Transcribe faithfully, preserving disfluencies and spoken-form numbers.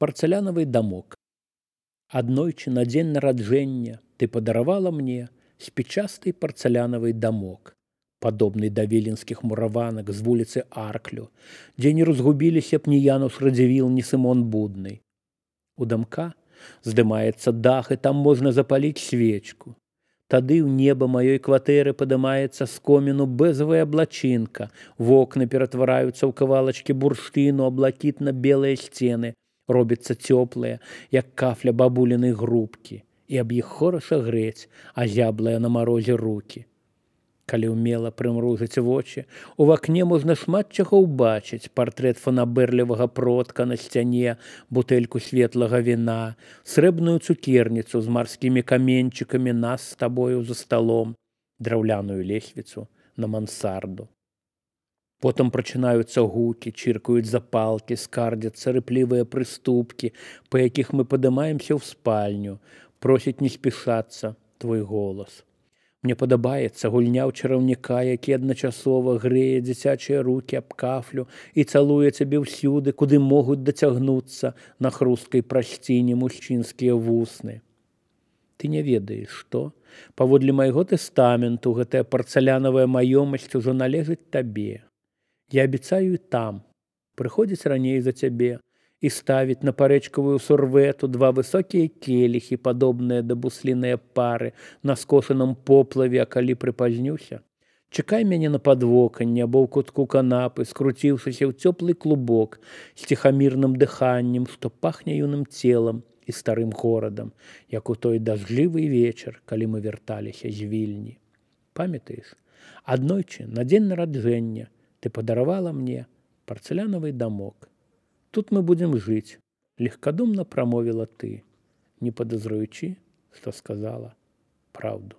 Парцалянавы дамок. Аднойчы на дзень нараджэння ты падаравала мне спічасты парцалянавы дамок, падобны да віленскіх мураванак з вуліцы Арклю, дзе не разгубіліся б ні Януш Радзівіл, ні Сымон Будны. У дамка здымаецца дах, і там можна запаліць свечку. Тады ў неба маёй кватэры падымаецца з коміну бэзавая аблачынка, вокны ператвараюцца ў кавалачкі бурштыну, а блакітна-белыя сцены робяцца цёплыя, як кафля бабулінай грубкі, і аб іх хораша грэць, азяблыя на марозе рукі. Калі ўмела прымружыць вочы, у вакне можна шмат чаго ўбачыць: партрэт фанабэрлівага продка на сцяне, бутэльку светлага віна, срэбную цукерніцу з марскімі каменьчыкамі, нас з табою за сталом, драўляную лесвіцу на мансарду. Потым прачынаюцца гукі, чыркаюць запалкі, скардзяцца рыплівыя прыступкі, па якіх мы падымаемся ў спальню, просіць не спішацца твой голас. Мне падабаецца гульня ў чараўніка, які адначасова грэе дзіцячыя рукі аб кафлю і цалуе цябе ўсюды, куды могуць дацягнуцца на хрусткай прасціне мужчынскія вусны. Ты не ведаеш, што, паводле майго тэстаменту, гэтая парцалянавая маёмасць ужо належыць табе. Я абяцаю і там прыходзіць раней за цябе і ставіць на парэчкавую сурвету два высокія келіхі, падобныя да бусліныя пары на скошаным поплаве, а калі прыпазнюся, чакай мяне на падвоканні або ў кутку канапы, скруціўшыся ў цёплы клубок з ціхамірным дыханнем, што пахне юным целам і старым горадам, як у той дажджлівы вечар, калі мы вярталіся з Вільні. Памятаеш, аднойчы на дзень нараджэння ты падаравала мне парцалянавы дамок. Тут мы будем жить, легкодумно промовила ты, не подозреваючи, что сказала правду.